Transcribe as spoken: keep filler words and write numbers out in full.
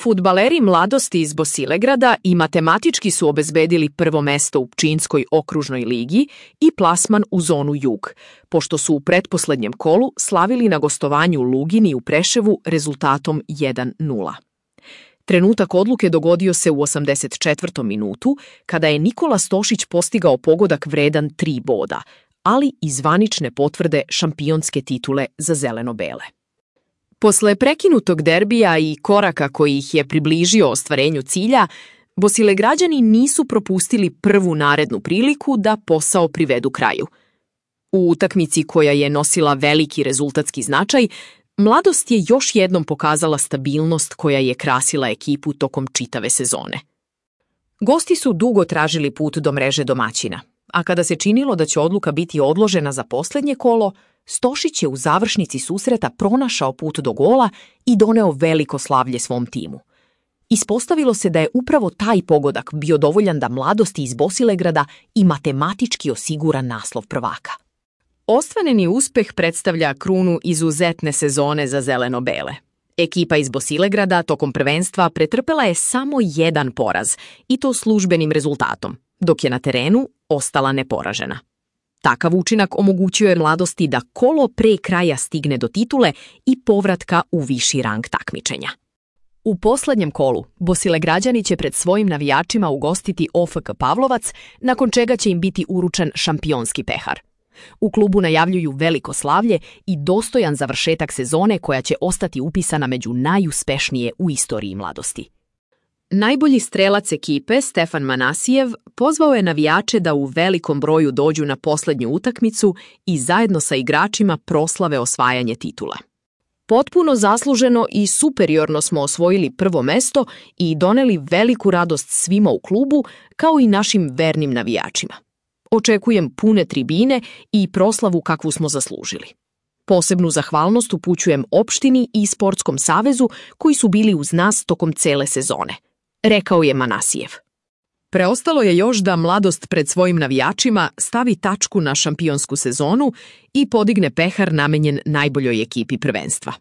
Fudbaleri mladosti iz Bosilegrada i matematički su obezbedili prvo mesto u Pčinjskoj okružnoj ligi i plasman u zonu Jug, pošto su u pretposlednjem kolu slavili na gostovanju u Lugini u Preševu rezultatom jedan nula. Trenutak odluke dogodio se u osamdeset četvrtom minutu, kada je Nikola Stošić postigao pogodak vredan tri boda, ali i zvanične potvrde šampionske titule za zeleno-bele. Posle prekinutog derbija i koraka koji ih je približio ostvarenju cilja, Bosilegrađani nisu propustili prvu narednu priliku da posao privedu kraju. U utakmici koja je nosila veliki rezultatski značaj, Mladost je još jednom pokazala stabilnost koja je krasila ekipu tokom čitave sezone. Gosti su dugo tražili put do mreže domaćina, a kada se činilo da će odluka biti odložena za poslednje kolo, Stošić je u završnici susreta pronašao put do gola i doneo veliko slavlje svom timu. Ispostavilo se da je upravo taj pogodak bio dovoljan da Mladosti iz Bosilegrada i matematički osigura naslov prvaka. Ostvareni uspeh predstavlja krunu izuzetne sezone za zeleno-bele. Ekipa iz Bosilegrada tokom prvenstva pretrpela je samo jedan poraz, i to službenim rezultatom, dok je na terenu ostala neporažena. Takav učinak omogućio je Mladosti da kolo pre kraja stigne do titule i povratka u viši rang takmičenja. U poslednjem kolu Bosilegrađani će pred svojim navijačima ugostiti O F K Pavlovac, nakon čega će im biti uručen šampionski pehar. U klubu najavljuju veliko slavlje i dostojan završetak sezone koja će ostati upisana među najuspešnije u istoriji Mladosti. Najbolji strelac ekipe, Stefan Manasijev, pozvao je navijače da u velikom broju dođu na poslednju utakmicu i zajedno sa igračima proslave osvajanje titula. Potpuno zasluženo i superiorno smo osvojili prvo mesto i doneli veliku radost svima u klubu, kao i našim vernim navijačima. Očekujem pune tribine i proslavu kakvu smo zaslužili. Posebnu zahvalnost upućujem opštini i Sportskom savezu koji su bili uz nas tokom cele sezone, rekao je Manasijev. Preostalo je još da Mladost pred svojim navijačima stavi tačku na šampionsku sezonu i podigne pehar namenjen najboljoj ekipi prvenstva.